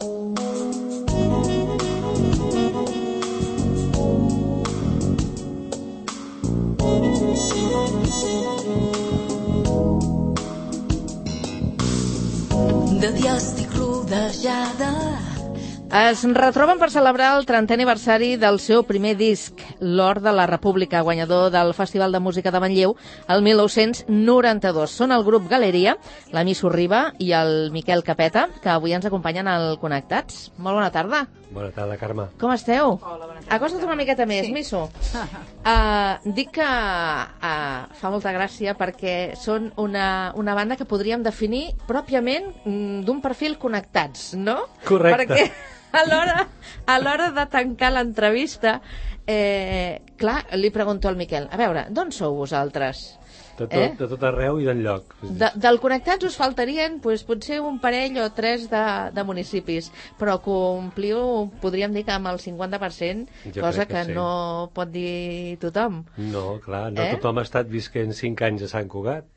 De dia estic rodejada. Es retroben per celebrar el 30è aniversari del seu primer disc, L'Or de la República, guanyador del Festival de Música de Manlleu el 1992. Són el grup Galeria, la Misso Riba i el Miquel Capeta, que avui ens acompanyen al Connectats. Molt bona tarda. Bona tarda, Carme. Com esteu? Hola, bona tarda. Acosta't una miqueta més, sí. Misso. Dic que fa molta gràcia perquè són una banda que podríem definir pròpiament d'un perfil Connectats, no? Correcte. Perquè a l'hora de tancar l'entrevista, clar, li pregunto al Miquel, a veure, d'on sou vosaltres? De tot arreu i d'enlloc. Del Connectats us faltarien potser un parell o tres de municipis, però compliu, podríem dir que amb el 50%, cosa que sí. No pot dir tothom. No, clar, no tothom ha estat visquent 5 anys a Sant Cugat.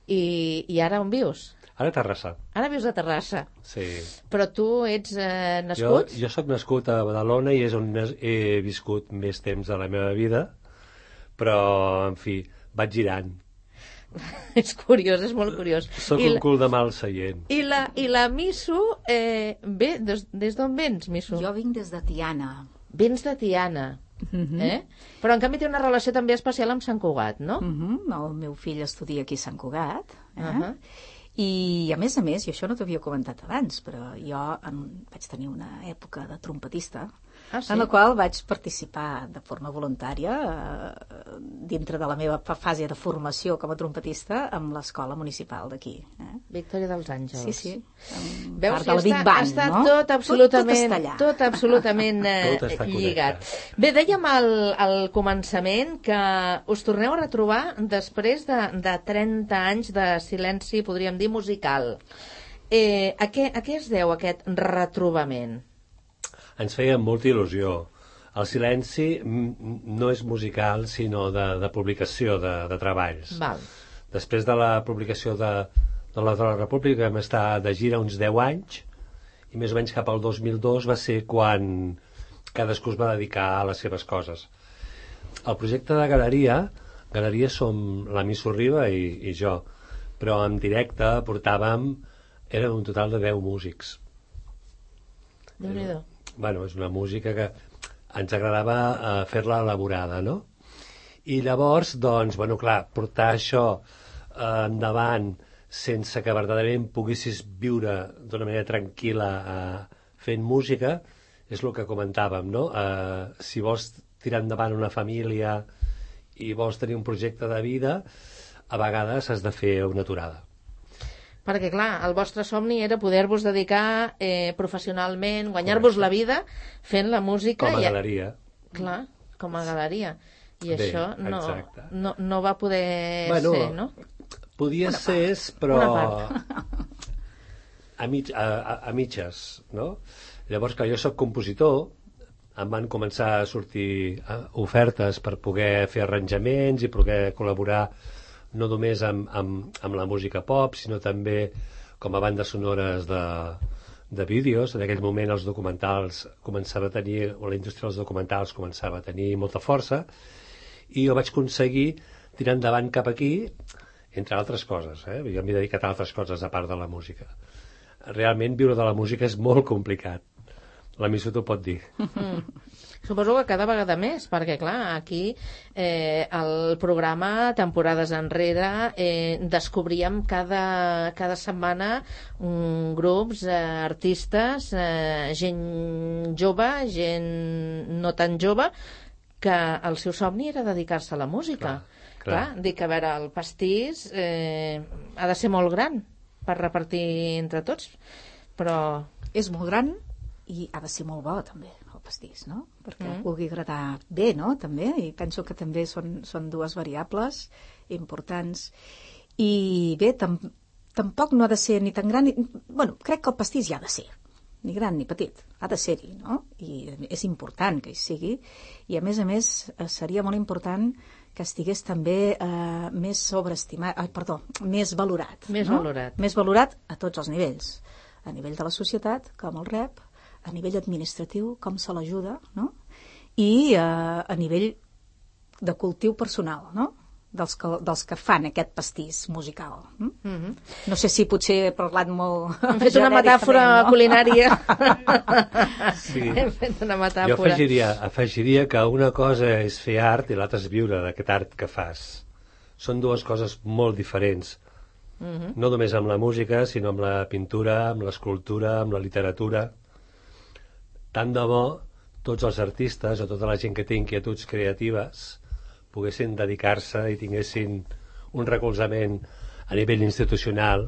I ara on vius? Ara a Terrassa. Ara vius a Terrassa. Sí. Però tu ets nascut? Jo sóc nascut a Badalona i és on he viscut més temps de la meva vida, però, en fi, vaig girant. És curiós, és molt curiós. Soc un cul de mal seient. I la Misso, ve, des d'on vens, Misso? Jo vinc des de Tiana. Vens de Tiana. Però en canvi té una relació també especial amb Sant Cugat, no? El meu fill estudia aquí a Sant Cugat. I a més, i això no t'havia comentat abans, però jo vaig tenir una època de trompetista, en la qual vaig participar de forma voluntària dintre de la meva fase de formació com a trompetista amb l'escola municipal d'aquí. Victòria dels Àngels. Sí. Veus que ha estat no? tot absolutament lligat. Bé, dèiem al començament que us torneu a retrobar després de 30 anys de silenci, podríem dir, musical. A què es deu aquest retrobament? Ens feia molta il·lusió. El silenci no és musical, sinó de publicació de treballs. Val. Després de la publicació de la República vam estar de gira uns 10 anys i més o menys cap al 2002 va ser quan cadascú es va dedicar a les seves coses. El projecte de Galeria som la Misso Riba i jo, però en directe érem un total de 10 músics. Déu-n'hi-do. Bueno, és una música que ens agradava fer-la elaborada, no? I llavors, doncs, bueno, clar, portar això endavant sense que verdaderament poguessis viure d'una manera tranquil·la fent música, és el que comentàvem, no? Si vols tirar endavant una família i vols tenir un projecte de vida, a vegades has de fer una aturada. Perquè, clar, el vostre somni era poder-vos dedicar professionalment, guanyar-vos la vida fent la música. Com a galeria. Clar, com a galeria. I bé, això no va poder ser, no? Podia ser, però a mitges, no? Llavors, que jo sóc compositor, em van començar a sortir ofertes per poder fer arranjaments i poder col·laborar no només amb la música pop, sinó també com a bandes sonores de vídeos. En aquell moment els documentals començava a tenir, o la indústria dels documentals començava a tenir molta força, i jo vaig aconseguir tirar endavant cap aquí, entre altres coses. Jo m'he dedicat a altres coses a part de la música. Realment viure de la música és molt complicat. La Misso t'ho pot dir. Suposo que cada vegada més, perquè, clar, aquí el programa, temporades enrere, descobríem cada setmana grups, artistes, gent jove, gent no tan jove, que el seu somni era dedicar-se a la música. Clar, dic, a veure, el pastís ha de ser molt gran per repartir entre tots, però... És molt gran i ha de ser molt bo, també, el pastís, no? Perquè pugui agradar bé, no?, també, i penso que també són dues variables importants. I bé, tampoc no ha de ser ni tan gran... Bueno, crec que el pastís ja ha de ser, ni gran ni petit, ha de ser-hi, no? I és important que hi sigui, i a més, seria molt important que estigués també més sobreestimat, més valorat. Més valorat. Més valorat a tots els nivells. a nivell de la societat, com el rep, a nivell administratiu, com se l'ajuda, no? I a nivell de cultiu personal, no? Dels que fan aquest pastís musical. No sé si potser he parlat molt... Hem fet una metàfora culinària. Sí. Hem fet una metàfora. Jo afegiria que una cosa és fer art i l'altra és viure d'aquest art que fas. Són dues coses molt diferents. No només amb la música, sinó amb la pintura, amb l'escultura, amb la literatura. Tant de bo tots els artistes o tota la gent que té inquietuds creatives poguessin dedicar-se i tinguessin un recolzament a nivell institucional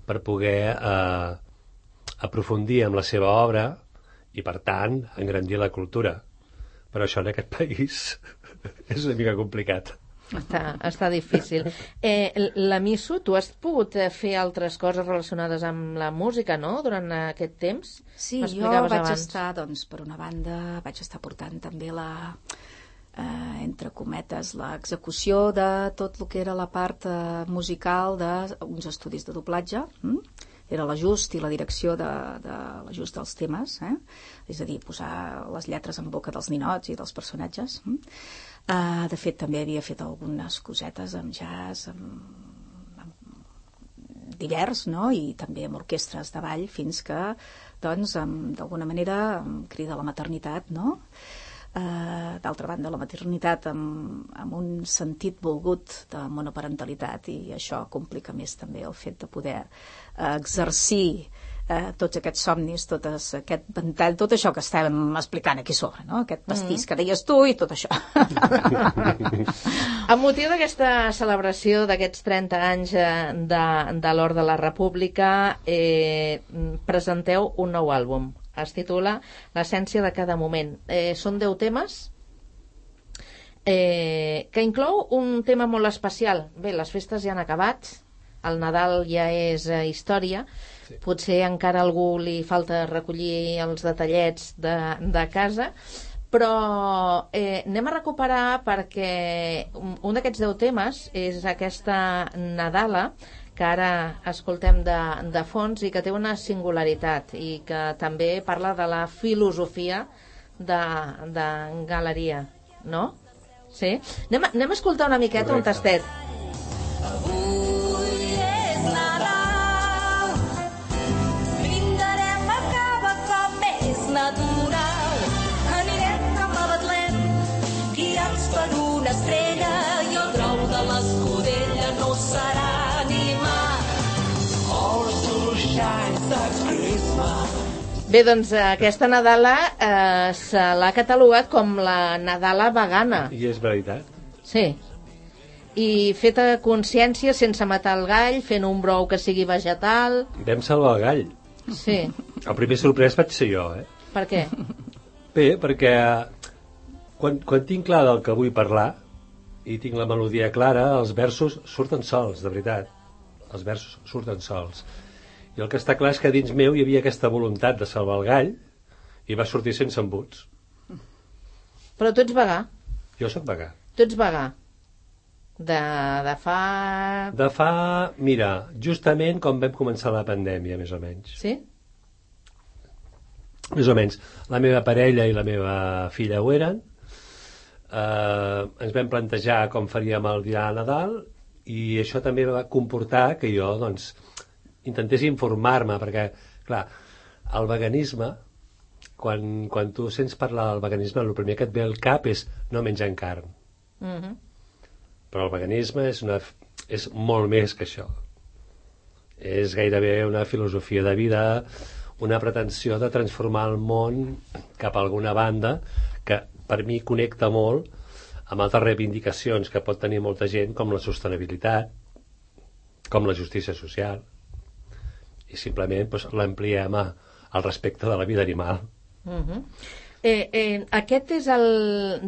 per poder aprofundir en la seva obra i, per tant, engrandir la cultura. Però això en aquest país és una mica complicat. Està difícil. La Misu, tu has pogut fer altres coses relacionades amb la música, no?, durant aquest temps? Sí, jo vaig estar, doncs, per una banda, vaig estar portant també entre cometes, l'execució de tot el que era la part musical d'uns estudis de doblatge. Era l'ajust i la direcció de l'ajust dels temes, és a dir, posar les lletres en boca dels ninots i dels personatges. De fet, també havia fet algunes cosetes amb jazz, amb divers, no? I també amb orquestres de ball, fins que, doncs, d'alguna manera em crida la maternitat, no? D'altra banda, la maternitat amb un sentit volgut de monoparentalitat, i això complica més també el fet de poder exercir tots aquests somnis, tot aquest ventall, tot això que estàvem explicant aquí sobre, no? Aquest pastís que deies tu i tot això. Amb motiu d'aquesta celebració d'aquests 30 anys de l'Hort de la República, presenteu un nou àlbum. Es titula L'essència de cada moment. Són 10 temes que inclou un tema molt especial. Bé, les festes ja han acabat, el Nadal ja és història, sí. Potser encara a algú li falta recollir els detallets de casa, però anem a recuperar, perquè un d'aquests 10 temes és aquesta Nadala, que ara escoltem de fons i que té una singularitat i que també parla de la filosofia de Galeria, no? Sí? Anem a escoltar una miqueta. Correcte. Un tastet. Avui és Nadal, brindarem a cada cop més natural, anirem cap a Betlem, guiats per una estrella, i el grau de l'escudella no serà Bé, doncs aquesta Nadala se l'ha catalogat com la Nadala vegana. I és veritat. Sí. I feta a consciència, sense matar el gall, fent un brou que sigui vegetal. Vam salvar el gall. Sí. El primer sorprès vaig ser jo, Per què? Bé, perquè quan tinc clar del que vull parlar i tinc la melodia clara, els versos surten sols, de veritat. Els versos surten sols. I el que està clar és que dins meu hi havia aquesta voluntat de salvar el gall i va sortir sense embuts. Però tu ets vegà. Jo sóc vegà. Tu ets vegà. De fa... De fa, mira, justament com vam començar la pandèmia, més o menys. Sí? Més o menys. La meva parella i la meva filla ho eren. Ens vam plantejar com faríem el dia de Nadal i això també va comportar que jo, doncs, intentés informar-me, perquè, clar, el veganisme, quan tu sents parlar del veganisme, el primer que et ve al cap és no menjar carn. Però el veganisme és molt més que això. És gairebé una filosofia de vida, una pretensió de transformar el món cap a alguna banda que per mi connecta molt amb altres reivindicacions que pot tenir molta gent, com la sostenibilitat, com la justícia social, i simplement doncs, l'ampliem al respecte de la vida animal. Aquest és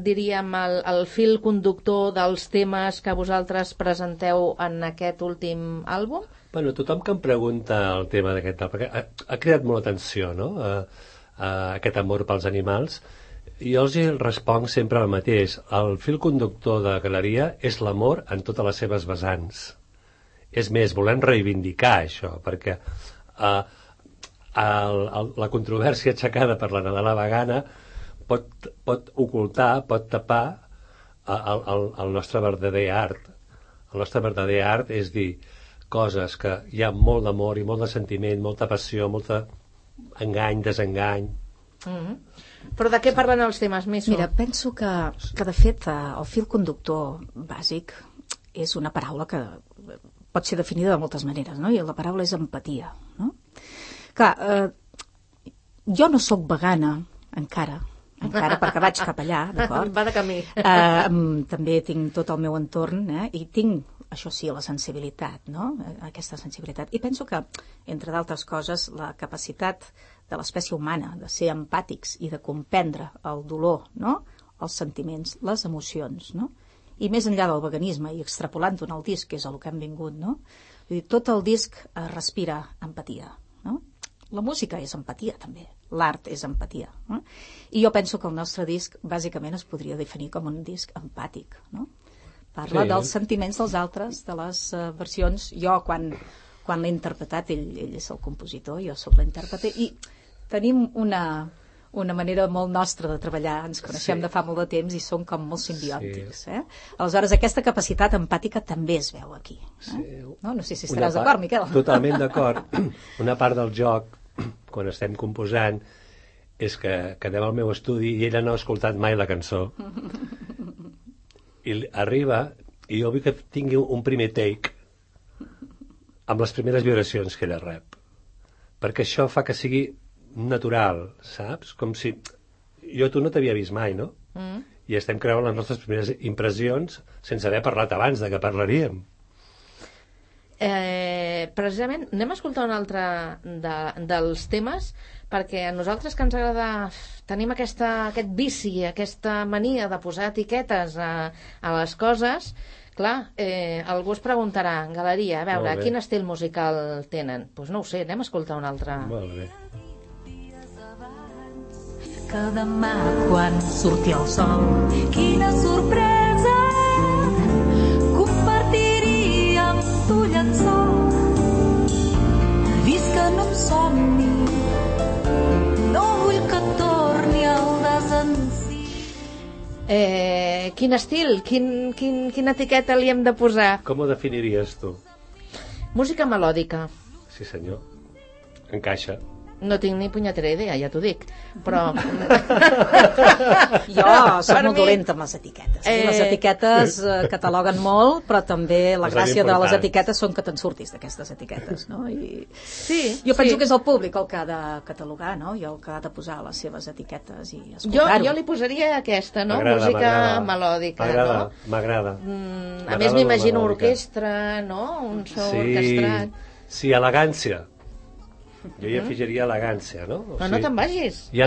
diríem, el fil conductor dels temes que vosaltres presenteu en aquest últim àlbum? Bueno, tothom que em pregunta el tema d'aquest, perquè ha creat molt atenció, no?, aquest amor pels animals, i jo els responc sempre el mateix. El fil conductor de Galeria és l'amor en totes les seves vessants. És més, volem reivindicar això, perquè la controvèrsia aixecada per la Nadala vegana pot ocultar, pot tapar el nostre verdader art. El nostre verdader art és dir coses que hi ha molt d'amor i molt de sentiment, molta passió, molt engany, desengany. Però de què parlen els temes més? Mira, penso que de fet el fil conductor bàsic és una paraula que pot ser definida de moltes maneres, no? I la paraula és empatia, no? Clar, jo no sóc vegana encara perquè vaig cap allà, d'acord? Va de camí. També tinc tot el meu entorn, i tinc, això sí, la sensibilitat, no? Aquesta sensibilitat. I penso que, entre d'altres coses, la capacitat de l'espècie humana de ser empàtics i de comprendre el dolor, no? Els sentiments, les emocions, no? I més enllà del veganisme i extrapolant-ho en el disc, que és el que hem vingut, no? Vull dir, tot el disc respira empatia, no? La música és empatia, també. L'art és empatia. No? I jo penso que el nostre disc, bàsicament, es podria definir com un disc empàtic, no? Parla dels sentiments dels altres, de les versions. Jo, quan l'he interpretat, ell és el compositor, jo sóc l'intèrprete, i tenim una manera molt nostra de treballar, ens coneixem de fa molt de temps i som com molt simbiòtics. Aleshores, aquesta capacitat empàtica també es veu aquí. No sé si estaràs d'acord, Miquel. Totalment d'acord. Una part del joc, quan estem composant, és que anem al meu estudi i ella no ha escoltat mai la cançó. I arriba i jo vull que tingui un primer take amb les primeres vibracions que ella rep. Perquè això fa que sigui natural, saps? Com si jo tu no t'havia vist mai, no? I estem creant les nostres primeres impressions sense haver parlat abans de que parlaríem. Precisament anem a escoltar un altre dels temes, perquè a nosaltres que ens agrada, tenim aquest vici, aquesta mania de posar etiquetes a les coses. Clar, algú es preguntarà, Galeria, a veure, quin estil musical tenen? Doncs no ho sé, anem a escoltar un altre. Molt bé. Que demà quan surti el sol, quina sorpresa, compartiria amb tu llençol. Visc en un somni, no vull que torni el desencís. Quin estil? Quina etiqueta li hem de posar? Com ho definiries tu? Música melòdica. Sí, senyor. Encaixa. No tinc ni punyetera idea, ja t'ho dic, però... Jo soc molt dolenta amb les etiquetes. Les etiquetes cataloguen molt, però també la gràcia de les etiquetes són que te'n surtis d'aquestes etiquetes, no? Jo penso que és el públic el que ha de catalogar, no? I el que ha de posar les seves etiquetes i escoltar-ho. Jo li posaria aquesta, no? Música melòdica, no? M'agrada. A més m'imagino orquestra, no? Un so orquestrat. Sí, elegància. Jo hi afegiria elegància, no? Però no te'n vagis. És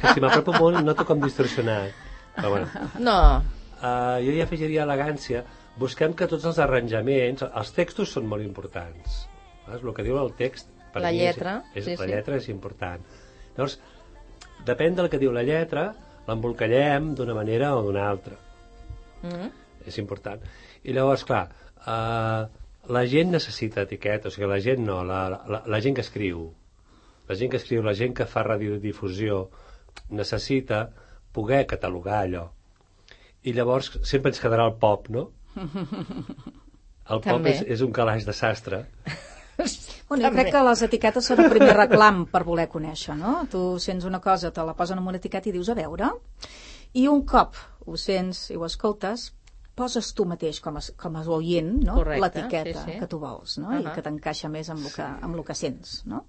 que si m'apropo molt noto com distorsionat. Però bueno. No. Jo hi afegiria elegància. Busquem que tots els arranjaments... Els textos són molt importants. El que diu el text... La lletra. La lletra és important. Llavors, depèn del que diu la lletra, l'embolcallem d'una manera o d'una altra. És important. I llavors, clar... la gent necessita etiquetes, o sigui, la gent no, la gent que escriu, la gent que fa radiodifusió, necessita poder catalogar allò. I llavors sempre ens quedarà el pop, no? El pop és un calaix de sastre. Bueno, jo crec que les etiquetes són el primer reclam per voler conèixer, no? Tu sents una cosa, te la posen en una etiqueta i dius a veure, i un cop ho sents i ho escoltes, poses tu mateix com a oient, no? L'etiqueta que tu vols, no? I que t'encaixa més amb el que sents, no?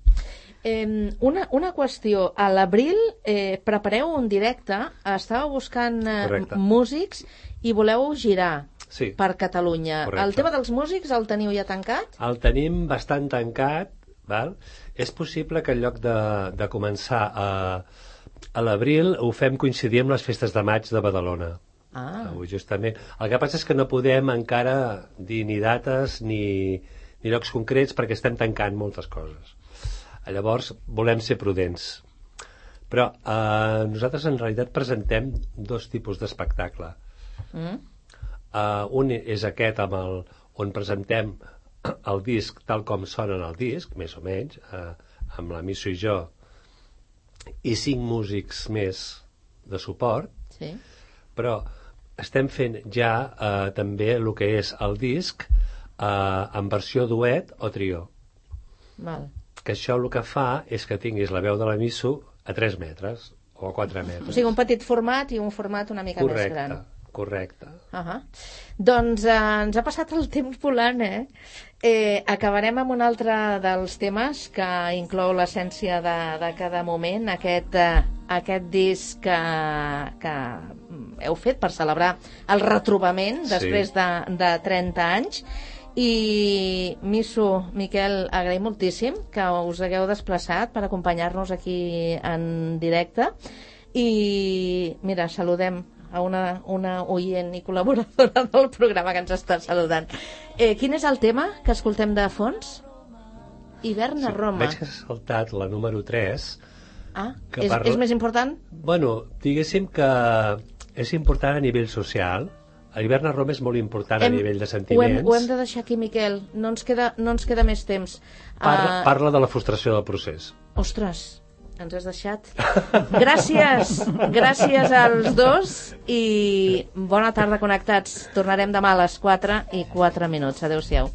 Una qüestió. A l'abril prepareu un directe, estàveu buscant músics i voleu girar per Catalunya. El tema dels músics el teniu ja tancat? El tenim bastant tancat, val? És possible que en lloc de començar a l'abril ho fem coincidir amb les festes de maig de Badalona. Justament. El que passa és que no podem encara dir ni dates ni llocs concrets perquè estem tancant moltes coses. Llavors volem ser prudents. Però nosaltres en realitat presentem dos tipus d'espectacle. Un és aquest on presentem el disc tal com sona en el disc, més o menys, amb la Misso i jo, i 5 músics més de suport, Sí. però estem fent ja també el que és el disc en versió duet o trio. Val. Que això el que fa és que tinguis la veu de la Misso a 3 metres o a 4 metres. O sigui, un petit format i un format una mica més gran. Correcte. Doncs ens ha passat el temps volant, acabarem amb un altre dels temes que inclou l'essència de cada moment, aquest disc que heu fet per celebrar el retrobament després de 30 anys. I Misso, Miquel, agraïm moltíssim que us hagueu desplaçat per acompanyar-nos aquí en directe. I mira, saludem a una oient i col·laboradora del programa que ens està saludant. Quin és el tema que escoltem de fons? Hivern a Roma. Veig que has saltat la número 3. És més important? Bueno, diguéssim que és important a nivell social. L'hivern a Roma és molt important a nivell de sentiments. Ho hem de deixar aquí, Miquel. No ens queda més temps. Parla de la frustració del procés. Ostres, ens has deixat. Gràcies als dos i bona tarda, connectats. Tornarem demà a les 4:04. Adéu-siau.